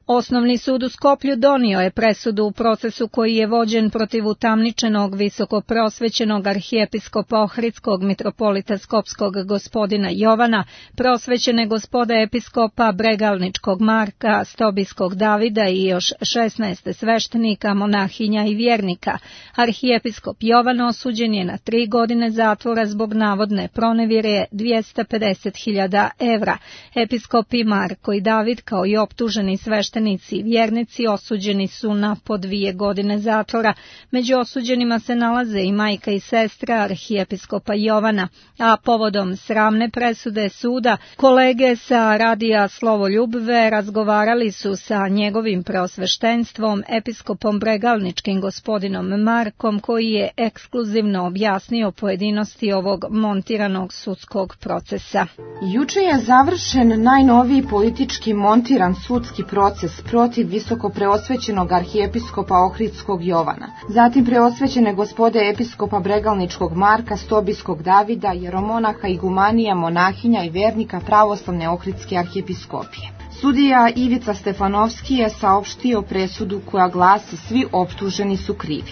Osnovni sud u Skoplju donio je presudu u procesu koji je vođen protiv utamničenog visokoprosvećenog arhijepiskopa Ohridskog mitropolita Skopskog gospodina Jovana, prosvećene gospode episkopa Bregalničkog Marka, Stobijskog Davida i još 16 sveštenika, monahinja i vjernika. Arhijepiskop Jovan osuđen je na 3 godine zatvora zbog navodne pronevjere 250.000 evra. Episkopi Marko i David kao i optuženi sveštenici i vjernici osuđeni su na po 2 godine zatvora. Među osuđenima se nalaze i majka i sestra arhijepiskopa Jovana, a povodom sramne presude suda, kolege sa radija Slovoljubve razgovarali su sa njegovim preosveštenstvom, episkopom Bregalničkim gospodinom Markom, koji je ekskluzivno objasnio pojedinosti ovog montiranog sudskog procesa. Juče je završen najnoviji politički montiran sudski proces protiv visoko preosvećenog arhijepiskopa Ohridskog Jovana, zatim preosvećene gospode episkopa Bregalničkog Marka, Stobijskog Davida, jeromonaha, igumanija, monahinja i vernika pravoslavne Ohridske arhijepiskopije. Sudija Ivica Stefanovski je saopštio presudu koja glasi: svi optuženi su krivi.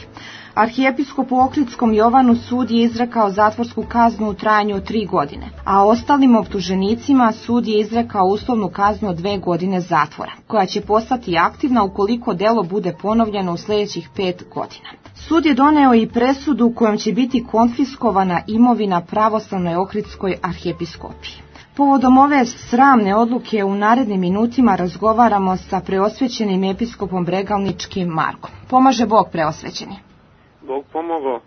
Arhijepiskopu Ohridskom Jovanu sud je izrekao zatvorsku kaznu u trajanju od 3 godine, a ostalim optuženicima sud je izrekao uslovnu kaznu od 2 godine zatvora, koja će postati aktivna ukoliko delo bude ponovljeno u sljedećih 5 godina. Sud je doneo i presudu kojom će biti konfiskovana imovina pravoslavnoj Ohridskoj arhijepiskopiji. Povodom ove sramne odluke u narednim minutima razgovaramo sa preosvećenim episkopom Bregalničkim Markom. Pomaže Bog, preosvećeni. Bog pomogao.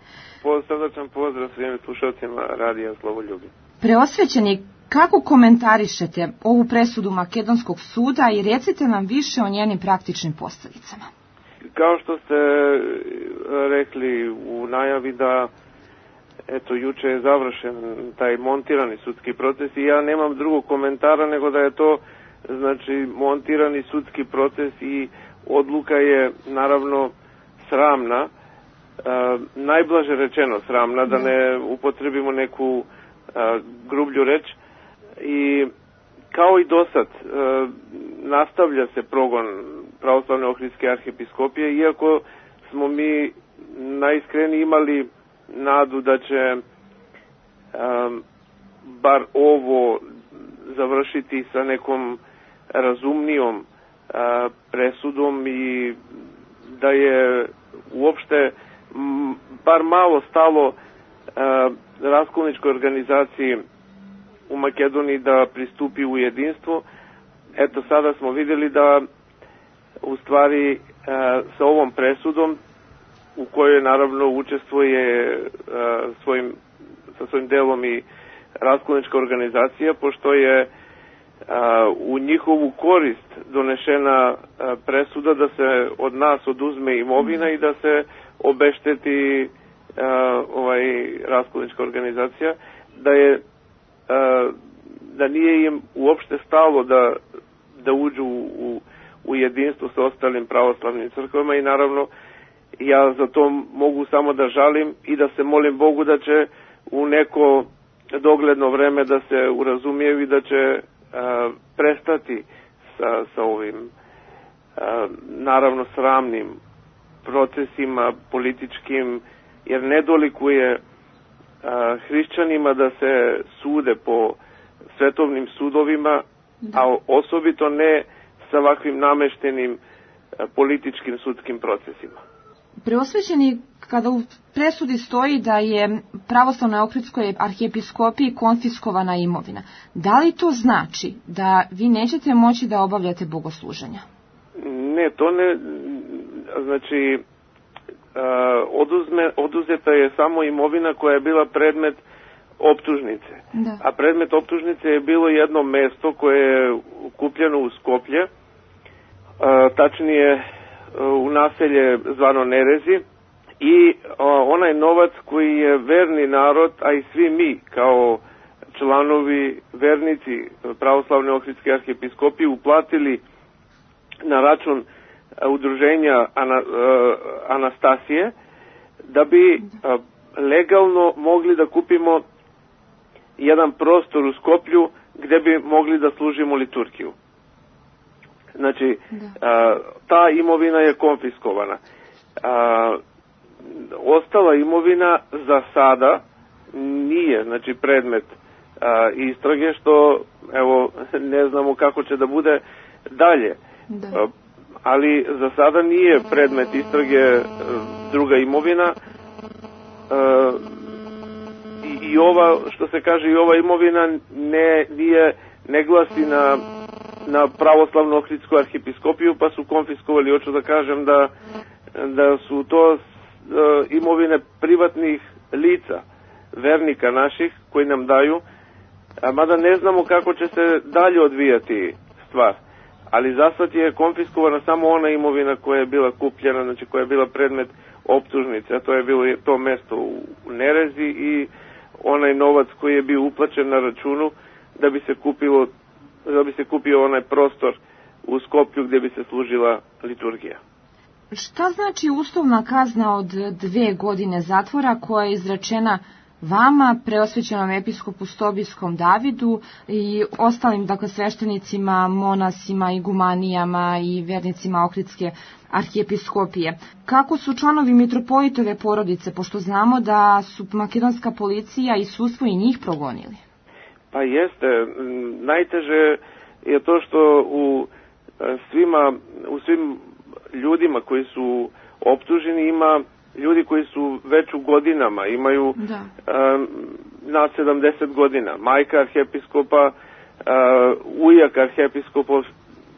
Srdačan pozdrav svim slušalcima radija Slovoljubve. Preosvećeni, kako komentarišete ovu presudu Makedonskog suda i recite nam više o njenim praktičnim posljedicama? Kao što ste rekli u najavi da juče je završen taj montirani sudski proces i ja nemam drugog komentara nego da je to montirani sudski proces i odluka je naravno sramna. Najblaže rečeno sramna, da ne upotrebimo neku grublju reč, i kao i dosad nastavlja se progon pravoslavne Ohridske arhijepiskopije, iako smo mi najiskreniji imali nadu da će bar ovo završiti sa nekom razumnijom presudom i da je uopšte bar malo stalo raskolničkoj organizaciji u Makedoniji da pristupi u jedinstvo. Eto, sada smo vidjeli da u stvari sa ovom presudom, u kojoj naravno učestvuje sa svojim delom i raskolnička organizacija, pošto je u njihovu korist donešena presuda da se od nas oduzme imovina i da se obešteti raskolnička organizacija, da nije im uopšte stalo da uđu u jedinstvo sa ostalim pravoslavnim crkvama, i naravno ja za to mogu samo da žalim i da se molim Bogu da će u neko dogledno vreme da se urazumiju i da će prestati sa ovim naravno sramnim procesima političkim, jer ne dolikuje hrišćanima da se sude po svetovnim sudovima, a osobito ne sa ovakvim nameštenim političkim sudskim procesima. Preosvećeni, kada u presudi stoji da je pravoslavnoj Ohridskoj arhijepiskopiji konfiskovana imovina, da li to znači da vi nećete moći da obavljate bogosluženja? Ne, to ne, znači oduzeta je samo imovina koja je bila predmet optužnice. Da. A predmet optužnice je bilo jedno mesto koje je kupljeno u Skoplje, tačnije u naselje zvano Nerezi, i onaj novac koji je verni narod, a i svi mi kao članovi vernici pravoslavne Ohridske arhijepiskopije uplatili na račun udruženja Anastasije, da bi legalno mogli da kupimo jedan prostor u Skoplju gde bi mogli da služimo liturgiju. Znači, ta imovina je konfiskovana. Ostala imovina za sada nije, znači, predmet istrage, što, evo, ne znamo kako će da bude dalje. Da. Ali za sada nije predmet istrage druga imovina i ova, što se kaže, i ova imovina ne glasi na pravoslavnu Ohridsku arhijepiskopiju, pa su konfiskovali. Hoću da kažem da su to imovine privatnih lica, vernika naših, koji nam daju, mada ne znamo kako će se dalje odvijati stvar. Ali za sad je konfiskovana samo ona imovina koja je bila kupljena, znači koja je bila predmet optužnice, a to je bilo to mesto u Nerezi i onaj novac koji je bio uplaćen na računu da bi se kupio onaj prostor u Skoplju gdje bi se služila liturgija. Šta znači uslovna kazna od 2 godine zatvora koja je izrečena vama, preosvećenom episkopu Stobijskom Davidu i ostalim, dakle, sveštenicima, monasima, igumanijama i vernicima Ohridske arhijepiskopije? Kako su članovi mitropolitove porodice, pošto znamo da su makedonska policija i sudstvo i njih progonili? Pa jeste. Najteže je to što u svim ljudima koji su optuženi ima ljudi koji su već u godinama, imaju na 70 godina. Majka arhijepiskopa, ujak arhijepiskopa,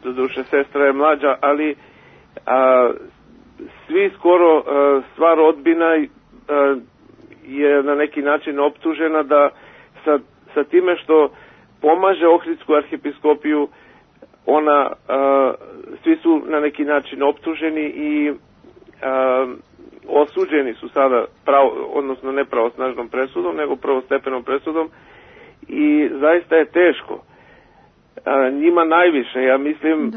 doduše sestra je mlađa, ali svi skoro, sva rodbina je na neki način optužena da sa time što pomaže Ohridsku arhijepiskopiju, svi su na neki način optuženi i osuđeni su sada, odnosno ne pravosnažnom presudom, nego prvostepenom presudom i zaista je teško. Njima najviše, ja mislim,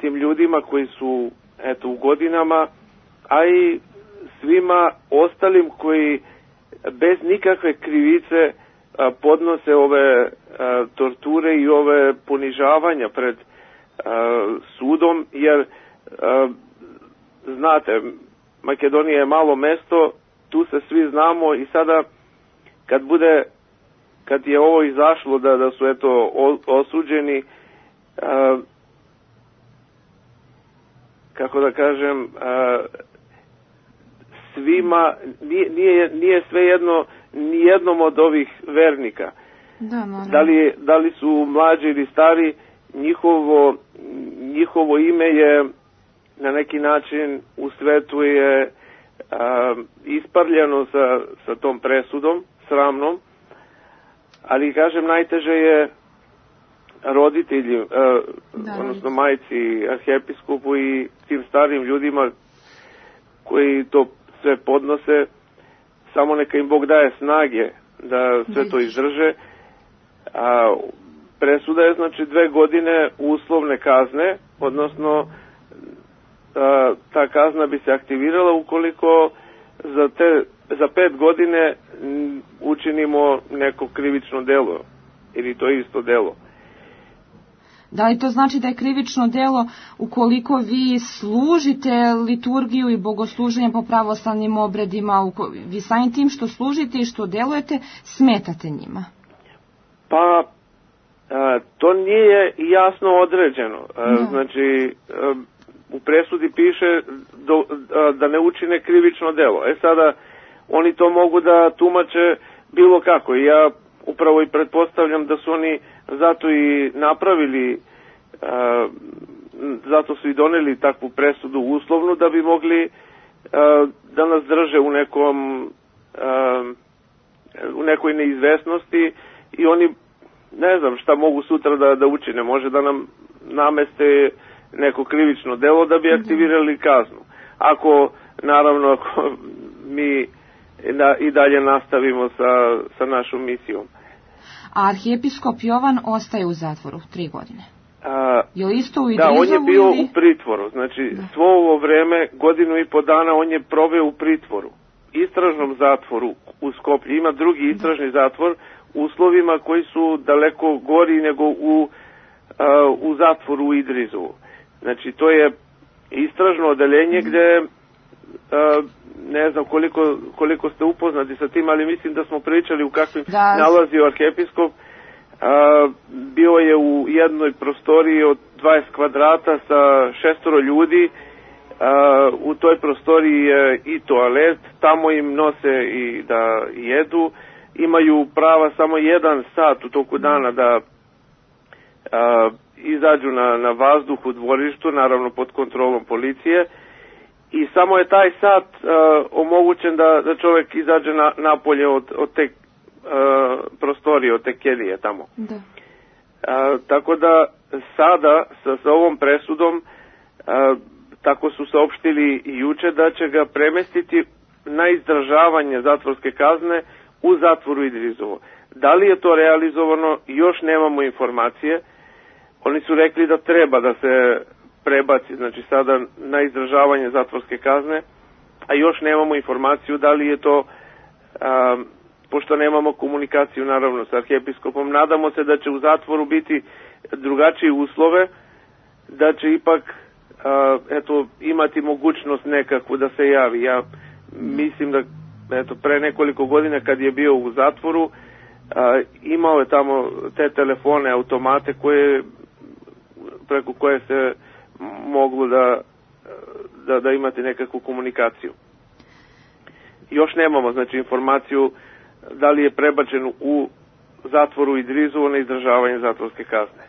tim ljudima koji su u godinama, a i svima ostalim koji bez nikakve krivice podnose ove torture i ove ponižavanja pred sudom, jer znate, Makedonija je malo mesto, tu se svi znamo i sada kad je ovo izašlo da su osuđeni, kako da kažem, svima, nije svejedno nijednom od ovih vernika. Da li su mlađi ili stari, njihovo ime je na neki način u svetu je isparljeno sa tom presudom, sramnom, ali kažem najteže je roditelji, odnosno majci arhijepiskopu i tim starim ljudima koji to sve podnose, samo neka im Bog daje snage da sve to izdrže. Presuda je znači 2 godine uslovne kazne, odnosno ta kazna bi se aktivirala ukoliko za 5 godine učinimo neko krivično delo ili to isto delo. Da li to znači da je krivično delo ukoliko vi služite liturgiju i bogosluženje po pravoslavnim obredima, vi samim tim što služite i što delujete, smetate njima? Pa, to nije jasno određeno. Znači, u presudi piše da ne učine krivično delo. Sada, oni to mogu da tumače bilo kako. I ja upravo i pretpostavljam da su oni zato i napravili, zato su i doneli takvu presudu uslovnu da bi mogli da nas drže u nekoj neizvesnosti i oni ne znam šta mogu sutra da učine. Može da nam nameste neko krivično delo da bi aktivirali kaznu. Ako mi i dalje nastavimo sa našom misijom. A arhijepiskop Jovan ostaje u zatvoru 3 godine. Je li isto u Idrizovu? Da, on je bio u pritvoru. Znači, svo ovo vreme, 1,5 godinu dana, on je proveo u pritvoru. Istražnom zatvoru u Skoplju. Ima drugi istražni zatvor u uslovima koji su daleko gori nego u zatvoru u Idrizovu. Znači, to je istražno odeljenje gde, ne znam koliko ste upoznati sa tim, ali mislim da smo pričali u kakvim nalazio arhijepiskop. Bio je u jednoj prostoriji od 20 kvadrata sa 6 ljudi. U toj prostoriji je i toalet, tamo im nose i da jedu. Imaju prava samo 1 sat u toku dana da izađu na vazduh u dvorištu, naravno pod kontrolom policije. I samo je taj sat omogućen da čovjek izađe napolje od te prostorije, od te kelije tamo. Da. Tako da sada sa ovom presudom tako su saopštili juče da će ga premestiti na izdržavanje zatvorske kazne u zatvoru Idrizovo. Da li je to realizovano, još nemamo informacije. Oni su rekli da treba da se prebaci, znači sada na izdržavanje zatvorske kazne, a još nemamo informaciju da li je to, pošto nemamo komunikaciju naravno sa arhijepiskopom, nadamo se da će u zatvoru biti drugačije uslove, da će ipak imati mogućnost nekakvu da se javi. Ja mislim da pre nekoliko godina kad je bio u zatvoru, imao je tamo te telefone, automate preko koje se moglo da imate nekakvu komunikaciju. Još nemamo, znači, informaciju da li je prebačen u zatvoru Idrizovo na izdržavanje zatvorske kazne.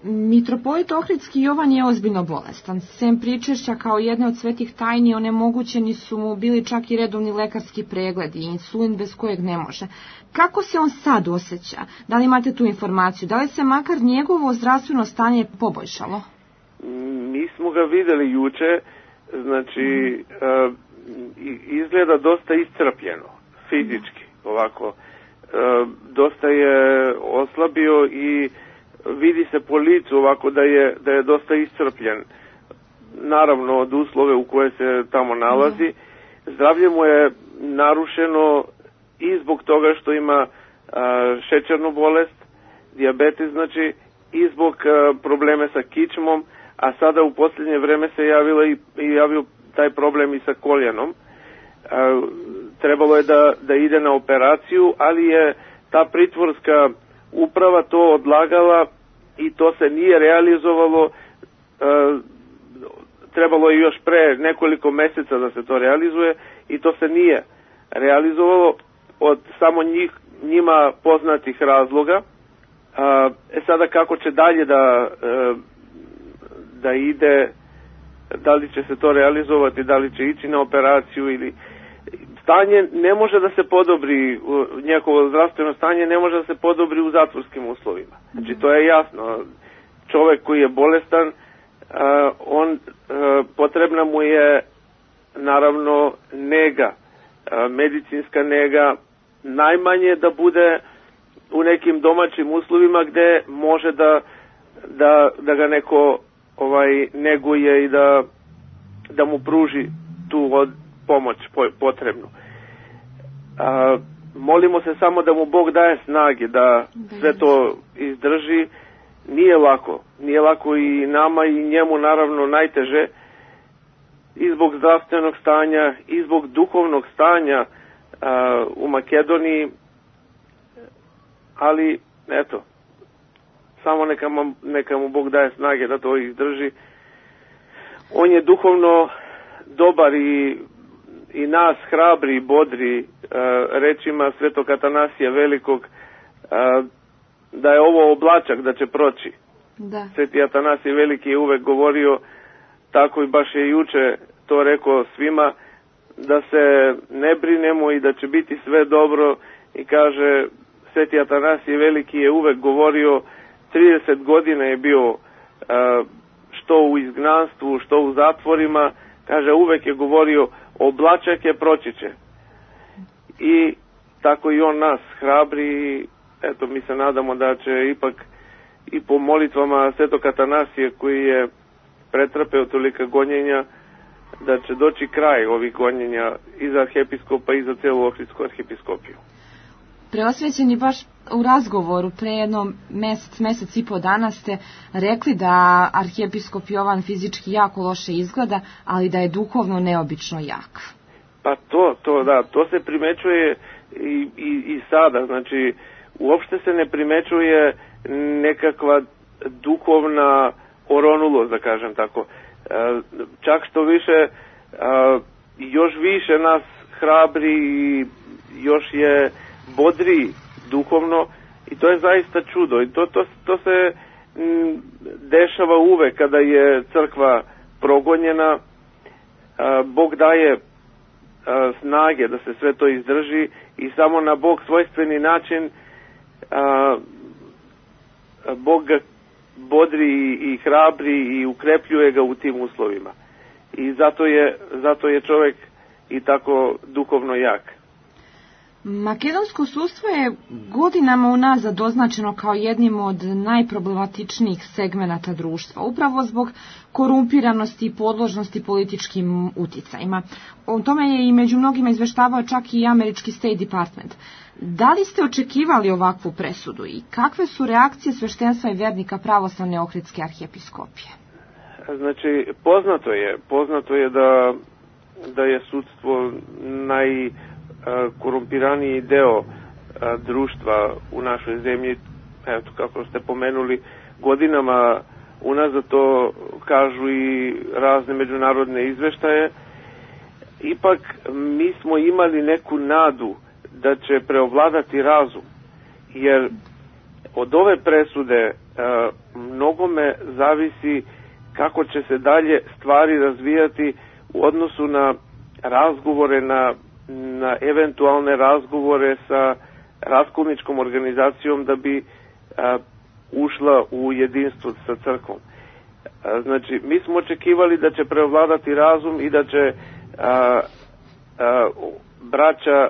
Mitropolit Ohridski Jovan je ozbiljno bolestan. Sem pričešća kao jedne od svetih tajni, onemogućeni su mu bili čak i redovni lekarski pregledi i insulin bez kojeg ne može. Kako se on sad osjeća? Da li imate tu informaciju? Da li se makar njegovo zdravstveno stanje poboljšalo? Mi smo ga videli juče, znači izgleda dosta iscrpljeno, fizički, ovako. Dosta je oslabio i vidi se po licu ovako da je dosta iscrpljen. Naravno od uslove u koje se tamo nalazi. Zdravlje mu je narušeno i zbog toga što ima šećernu bolest, dijabetes, znači, i zbog probleme sa kičmom, a sada u posljednje vreme se javio taj problem i sa koljenom. Trebalo je da ide na operaciju, ali je ta pritvorska uprava to odlagala i to se nije realizovalo. Trebalo je još pre nekoliko meseca da se to realizuje i to se nije realizovalo od samo njima poznatih razloga. Sada kako će dalje da ide, da li će se to realizovati, da li će ići na operaciju ili... Stanje ne može da se podobri, njegovo zdravstveno stanje ne može da se podobri u zatvorskim uslovima. Znači to je jasno. Čovek koji je bolestan, potrebna mu je naravno nega, medicinska nega, najmanje da bude u nekim domaćim uslovima gde može da ga neko neguje i da mu pruži tu pomoć potrebnu. Molimo se samo da mu Bog daje snage da sve to izdrži. Nije lako i nama i njemu naravno najteže i zbog zdravstvenog stanja i zbog duhovnog stanja u Makedoniji, ali eto, samo neka mu Bog daje snage da to izdrži. On je duhovno dobar i nas hrabri i bodri rečima Svetog Atanasija Velikog da je ovo oblačak da će proći. Da. Sveti Atanasij Veliki je uvek govorio tako i baš je juče to rekao svima, da se ne brinemo i da će biti sve dobro, i kaže Sveti Atanasij Veliki je uvek govorio, 30 godina je bio što u izgnanstvu, što u zatvorima, kaže uvek je govorio oblačak je, proći će. I tako i on nas hrabri. Eto, mi se nadamo da će ipak i po molitvama Svetog Atanasija koji je pretrpeo tolika gonjenja, da će doći kraj ovih gonjenja i za arhijepiskopa i za celu Ohridsku arhijepiskopiju. Preosvećeni, baš u razgovoru pre jedno mesec i po dana ste rekli da arhijepiskop Jovan fizički jako loše izgleda, ali da je duhovno neobično jak. Pa to se primećuje i sada, znači uopšte se ne primećuje nekakva duhovna oronulost, da kažem tako. Čak što više, još više nas hrabri i još je bodri duhovno i to je zaista čudo i to se dešava uvek kada je crkva progonjena. Bog daje snage da se sve to izdrži i samo na Bog svojstveni način Bog ga bodri i hrabri i ukrepljuje ga u tim uslovima. I zato je čovjek i tako duhovno jak. Makedonsko sudstvo je godinama unazad označeno kao jednim od najproblematičnijih segmenata društva, upravo zbog korumpiranosti i podložnosti političkim uticajima. O tome je i među mnogima izveštavao čak i američki State Department. Da li ste očekivali ovakvu presudu i kakve su reakcije sveštenstva i vernika pravoslavne Ohridske arhijepiskopije? Znači, poznato je da je sudstvo najkorumpiraniji deo društva u našoj zemlji. Eto, kako ste pomenuli, godinama unazad to kažu i razne međunarodne izveštaje. Ipak mi smo imali neku nadu da će preovladati razum, jer od ove presude mnogome zavisi kako će se dalje stvari razvijati u odnosu na razgovore, na eventualne razgovore sa raskolničkom organizacijom da bi ušla u jedinstvo sa crkvom. Znači, mi smo očekivali da će preovladati razum i da će braća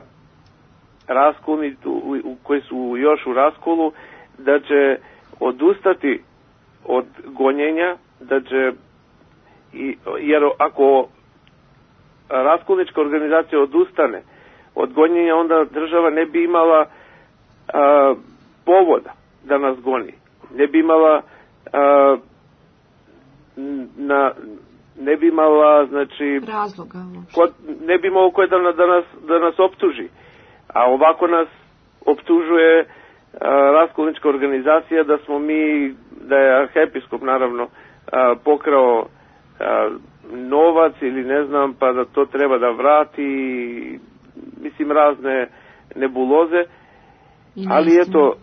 raskolni koji su još u raskolu, da će odustati od gonjenja, da će, jer ako raskolnička organizacija odustane od gonjenja, onda država ne bi imala povoda da nas goni. Ne bi imala ne bi imala, znači, razloga. Ne bi imao ko da nas optuži. A ovako nas optužuje raskolnička organizacija da je arhijepiskop naravno pokrao novac ili ne znam, pa da to treba da vrati, mislim, razne nebuloze. Ali eto,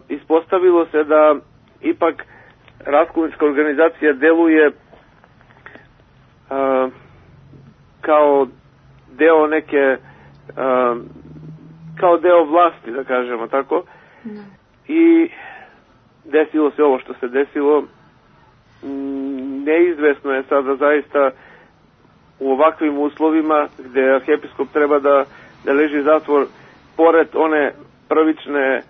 ispostavilo se da ipak raskolnička organizacija deluje kao deo neke kao deo vlasti, da kažemo tako. Ne. I desilo se ovo što se desilo. Neizvesno je sada zaista u ovakvim uslovima gde arhijepiskop treba da leži zatvor, pored one prvične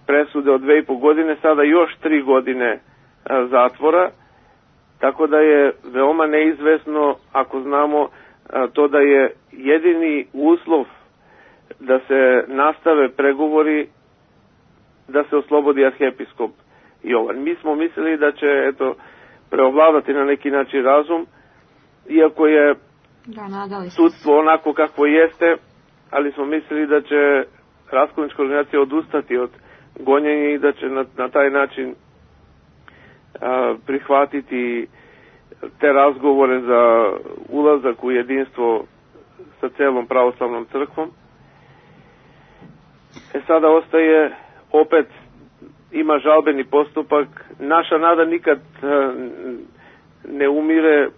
presude od 2,5 godine, sada još 3 godine zatvora, tako da je veoma neizvesno, ako znamo to da je jedini uslov da se nastave pregovori, da se oslobodi arhijepiskop Jovan. Mi smo mislili da će preovladati na neki način razum, iako je sudstvo onako kakvo jeste, ali smo mislili da će raskolnička organizacija odustati od gonjenja i da će na taj način prihvatiti te razgovore za ulazak u jedinstvo sa celom pravoslavnom crkvom. Sada ostaje, opet ima žalbeni postupak. Naša nada nikad ne umire,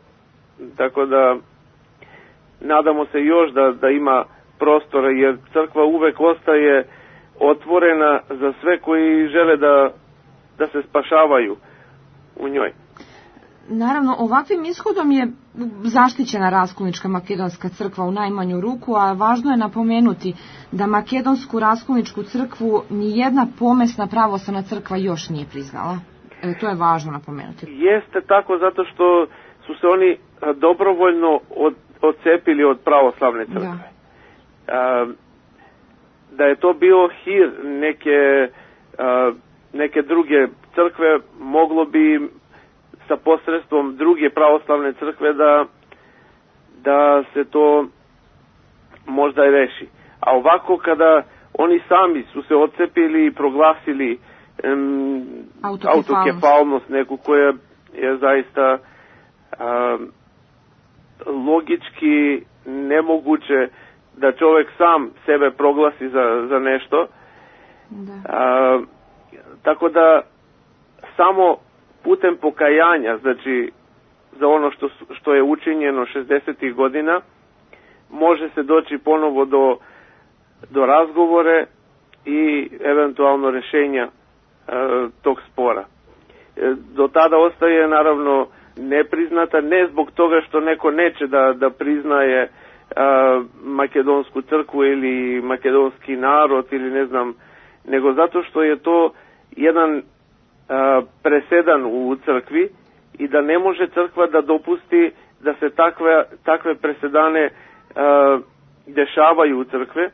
tako da nadamo se još da ima prostora, jer crkva uvek ostaje otvorena za sve koji žele da se spašavaju u njoj. Naravno, ovakvim ishodom je zaštićena raskolnička makedonska crkva u najmanju ruku, a važno je napomenuti da makedonsku raskolničku crkvu nijedna pomesna pravoslavna crkva još nije priznala. To je važno napomenuti. Jeste tako, zato što su se oni dobrovoljno odcepili od pravoslavne crkve. Da je to bio hir neke neke druge crkve, moglo bi sa posredstvom druge pravoslavne crkve da se to možda i reši. A ovako kada oni sami su se odcepili i proglasili autokefalnost neku koja je zaista logički nemoguće da čovjek sam sebe proglasi za nešto. Tako da samo putem pokajanja, znači za ono što je učinjeno 60. godina, može se doći ponovo do razgovore i eventualno rješenja tog spora. Do tada ostaje naravno nepriznata, ne zbog toga što neko neće da priznaje makedonsku crkvu ili makedonski narod ili ne znam, nego zato što je to jedan presedan u crkvi i da ne može crkva da dopusti da se takve presedane dešavaju u crkve.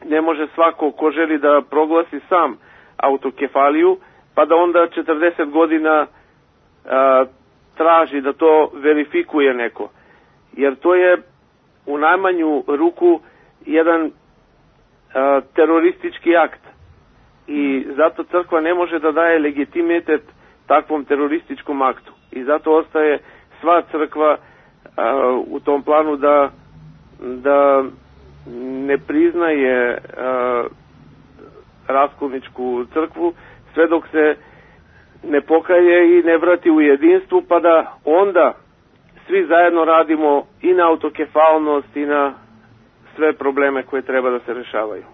Ne može svako ko želi da proglasi sam autokefaliju, pa da onda 40 godina traži da to verifikuje neko. Jer to je u najmanju ruku jedan teroristički akt. I zato crkva ne može da daje legitimitet takvom terorističkom aktu. I zato ostaje sva crkva u tom planu da ne priznaje raskolničku crkvu sve dok se ne pokaje i ne vrati u jedinstvu, pa da onda svi zajedno radimo i na autokefalnost i na sve probleme koje treba da se rešavaju.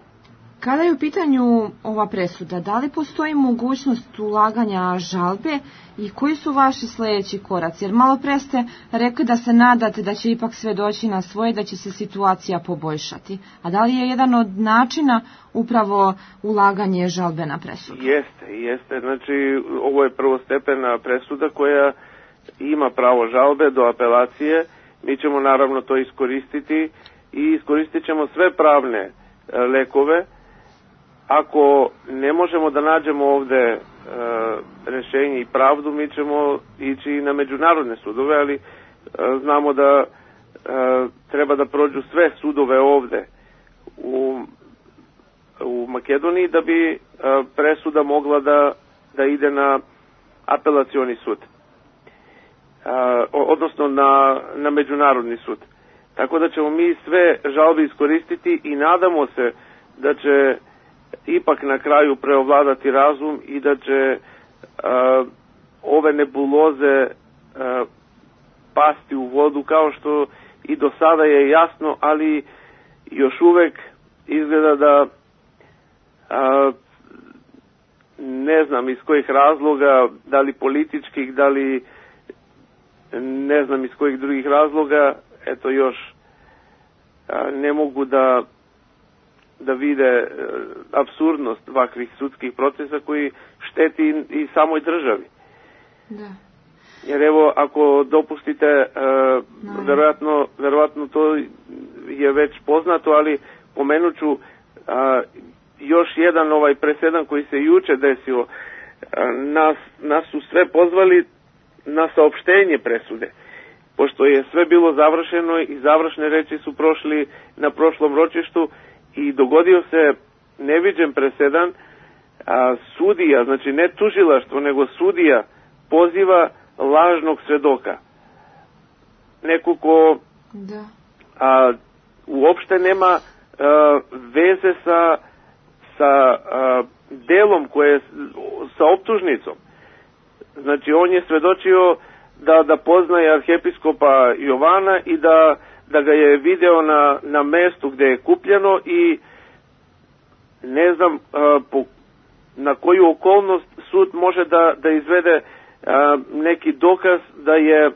Kada je u pitanju ova presuda, da li postoji mogućnost ulaganja žalbe i koji su vaši sljedeći koraci? Jer malo pre ste rekli da se nadate da će ipak sve doći na svoje, da će se situacija poboljšati. A da li je jedan od načina upravo ulaganje žalbe na presudu? Jeste. Znači, ovo je prvostepena presuda koja ima pravo žalbe do apelacije. Mi ćemo naravno to iskoristiti i iskoristit ćemo sve pravne lekove. Ako ne možemo da nađemo ovde rešenje i pravdu, mi ćemo ići na međunarodne sudove, ali znamo da treba da prođu sve sudove ovde u Makedoniji da bi presuda mogla da ide na apelacioni sud, odnosno na međunarodni sud. Tako da ćemo mi sve žalbe iskoristiti i nadamo se da će ipak na kraju preovladati razum i da će ove nebuloze pasti u vodu, kao što i do sada je jasno, ali još uvek izgleda da ne znam iz kojih razloga, da li političkih, da li ne znam iz kojih drugih razloga, eto još ne mogu da vide apsurdnost ovakvih sudskih procesa koji šteti i samoj državi. Da. Jer evo, ako dopustite, verovatno to je već poznato, ali pomenut ću još jedan presedan koji se juče desio. Nas su sve pozvali na saopštenje presude, pošto je sve bilo završeno i završne reči su prošli na prošlom ročištu i dogodio se neviđen presedan. Sudija, znači ne tužilaštvo, nego sudija poziva lažnog svedoka. Neko ko uopšte nema veze sa delom koje sa optužnicom. Znači on je svedočio da poznaje arhiepiskopa Jovana i da ga je video na mestu gde je kupljeno i ne znam na koju okolnost sud može da izvede neki dokaz da je,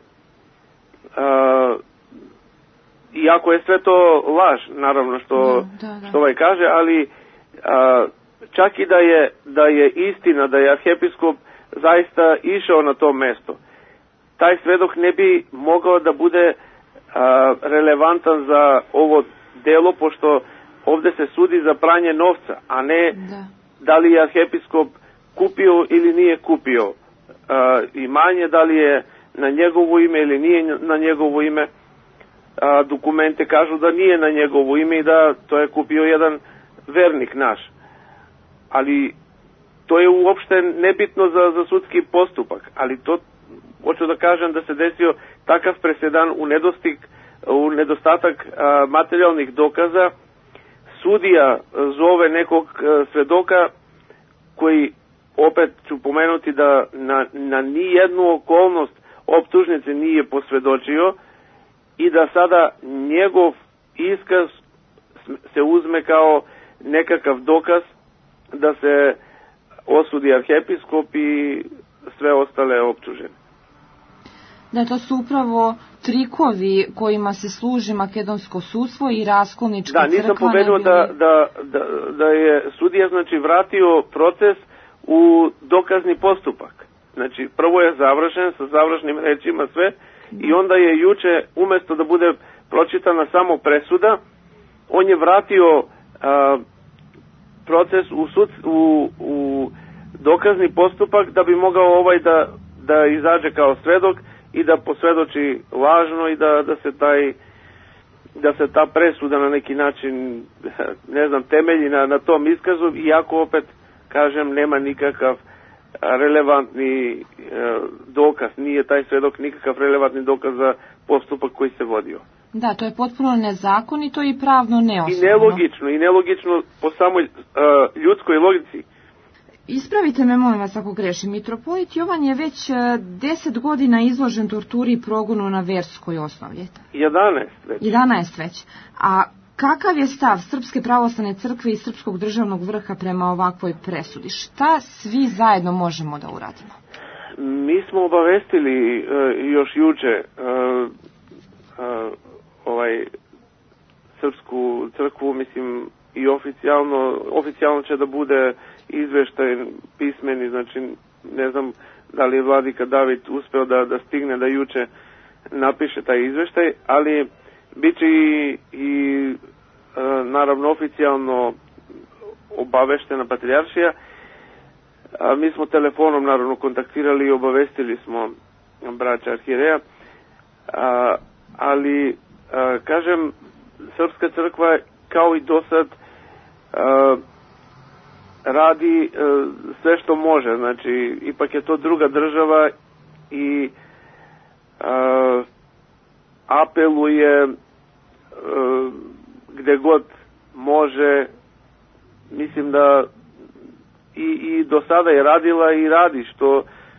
iako je sve to laž, naravno što kaže, ali čak i da je istina da je arhiepiskop zaista išao na to mesto, taj svedok ne bi mogao da bude relevantan za ovo delo, pošto ovde se sudi za pranje novca, a ne da li je arhijepiskop kupio ili nije kupio imanje, da li je na njegovo ime ili nije na njegovo ime. Dokumente kažu da nije na njegovo ime i da to je kupio jedan vernik naš. Ali to je uopšte nebitno za sudski postupak, ali to hoću da kažem da se desio takav presedan u nedostatak materijalnih dokaza. Sudija zove nekog svedoka koji, opet ću pomenuti da na nijednu okolnost optužnice nije posvedočio i da sada njegov iskaz se uzme kao nekakav dokaz da se osudi arhijepiskop i sve ostale optužene. Da, to su upravo trikovi kojima se služi makedonsko sudstvo i raskolnička crkva. Da, nisam pomenuo da je sudija znači vratio proces u dokazni postupak. Znači, prvo je završen sa završnim rečima sve i onda je juče, umesto da bude pročitana samo presuda, on je vratio proces u dokazni postupak da bi mogao da izađe kao svedok i da posvedoči lažno i da se ta presuda na neki način, ne znam, temelji na tom iskazu, iako opet, kažem, nema nikakav relevantni dokaz, nije taj svedok nikakav relevantni dokaz za postupak koji se vodio. Da, to je potpuno nezakonito i pravno neosnovano. I nelogično po samoj ljudskoj logici. Ispravite me, molim vas, ako grešim. Mitropolit Jovan je već 10 godina izložen torturi i progonu na verskoj osnovi. 11 već. 11 već. A kakav je stav Srpske pravoslavne crkve i Srpskog državnog vrha prema ovakvoj presudi? Šta svi zajedno možemo da uradimo? Mi smo obavestili još juče Srpsku crkvu, mislim, i oficijalno će da bude izveštaj pismeni, znači ne znam da li je vladika David uspeo da stigne da juče napiše taj izveštaj, ali bit će i naravno oficijalno obaveštena patrijaršija. Mi smo telefonom naravno kontaktirali i obavestili smo braća arhijereja, ali kažem, Srpska crkva kao i do sad radi sve što može, znači ipak je to druga država i apeluje gde god može. Mislim da i do sada je radila i radi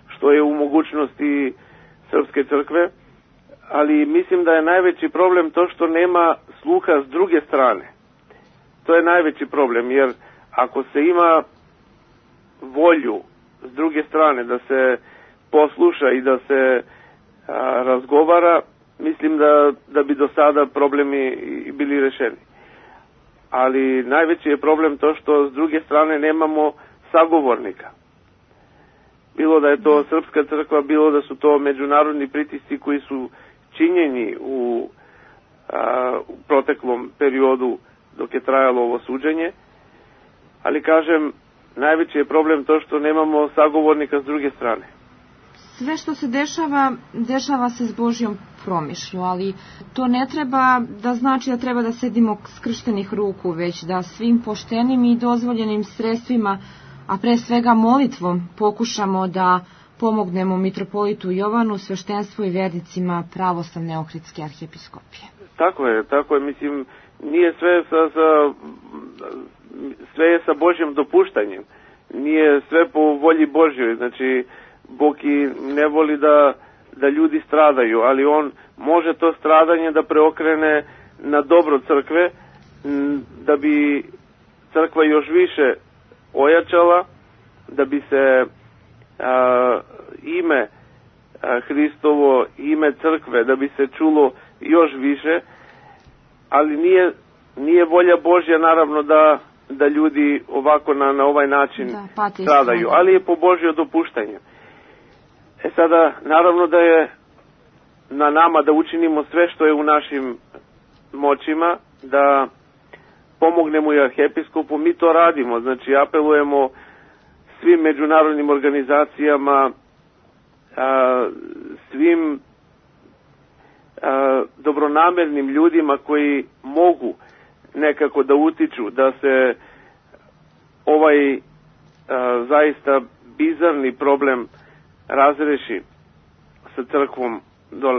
što je u mogućnosti Srpske crkve, ali mislim da je najveći problem to što nema sluha s druge strane. To je najveći problem, jer ako se ima volju s druge strane da se posluša i da se razgovara, mislim da bi do sada problemi bili rešeni. Ali najveći je problem to što s druge strane nemamo sagovornika. Bilo da je to Srpska crkva, bilo da su to međunarodni pritisci koji su činjeni u proteklom periodu dok je trajalo ovo suđenje. Ali kažem, najveći je problem to što nemamo sagovornika s druge strane. Sve što se dešava se s Božjom promišlju, ali to ne treba da znači da treba da sedimo skrštenih ruku, već da svim poštenim i dozvoljenim sredstvima, a pre svega molitvom, pokušamo da pomognemo mitropolitu Jovanu, sveštenstvu i vernicima pravoslavne Ohridske arhijepiskopije. Tako je, mislim, nije sve je sa Božjim dopuštanjem, nije sve po volji Božjoj, znači Bog i ne voli da ljudi stradaju, ali on može to stradanje da preokrene na dobro crkve, da bi crkva još više ojačala, da bi se ime Hristovo, ime crkve, da bi se čulo još više, ali nije volja Božja naravno da ljudi ovako na ovaj način stradaju, ali je po Božjo dopuštanje. Sada, naravno da je na nama da učinimo sve što je u našim moćima, da pomognemo i arhijepiskopu, mi to radimo. Znači, apelujemo svim međunarodnim organizacijama, svim dobronamernim ljudima koji mogu nekako da utiču da se ovaj zaista bizarni problem razreši sa crkvom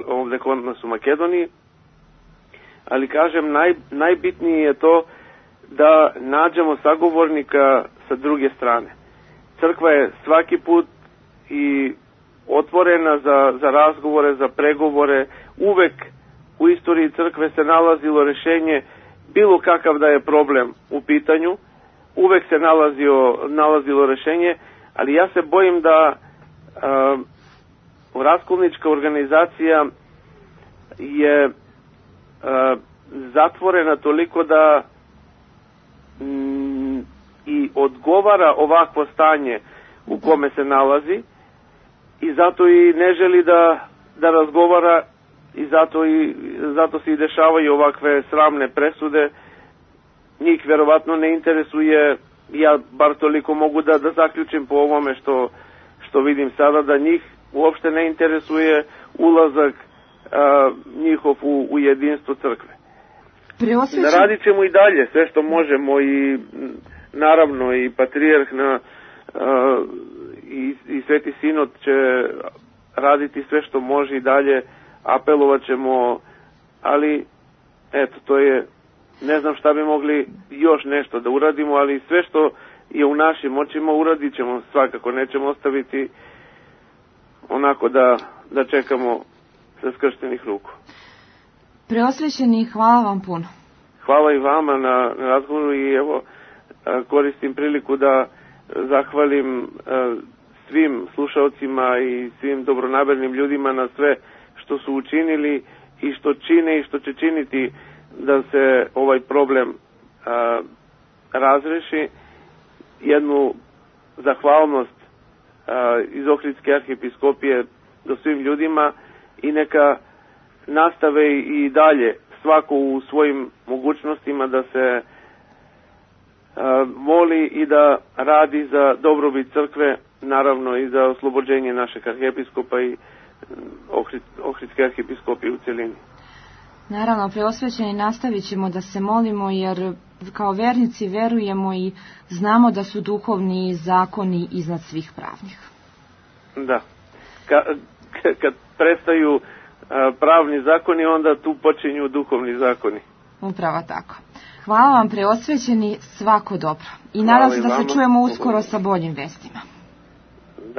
ovde kod nas u Makedoniji. Ali kažem, najbitnije je to da nađemo sagovornika sa druge strane. Crkva je svaki put i otvorena za razgovore, za pregovore. Uvek u istoriji crkve se nalazilo rešenje, bilo kakav da je problem u pitanju, uvek se nalazilo rešenje, ali ja se bojim da raskolnička organizacija je zatvorena toliko da i odgovara ovakvo stanje u kome se nalazi i zato i ne želi da razgovara i zato se i dešavaju ovakve sramne presude. Njih verovatno ne interesuje, ja bar toliko mogu da zaključim po ovome što vidim sada, da njih uopšte ne interesuje ulazak njihov u jedinstvo crkve. Radit ćemo i dalje sve što možemo i naravno i patrijarh i Sveti Sinod će raditi sve što može i dalje, apelovat ćemo, ali eto, to je, ne znam šta bi mogli još nešto da uradimo, ali sve što je u našim moćima uradit ćemo svakako, nećemo ostaviti onako da čekamo sa skrštenih ruku. Preosvećeni, hvala vam puno. Hvala i vama na razgovoru i evo koristim priliku da zahvalim svim slušalcima i svim dobronamernim ljudima na sve što su učinili i što čine i što će činiti da se ovaj problem razreši. Jednu zahvalnost iz Ohridske arhijepiskopije do svim ljudima i neka nastave i dalje svako u svojim mogućnostima da se moli i da radi za dobrobit crkve, naravno i za oslobođenje našeg arhijepiskopa i Ohridske arhijepiskopije u celini. Naravno, preosvećeni, nastavit ćemo da se molimo jer kao vernici verujemo i znamo da su duhovni zakoni iznad svih pravnih. Da. Kad prestaju pravni zakoni, onda tu počinju duhovni zakoni. Upravo tako. Hvala vam, preosvećeni, svako dobro. I nadam se da se čujemo uskoro sa boljim vestima.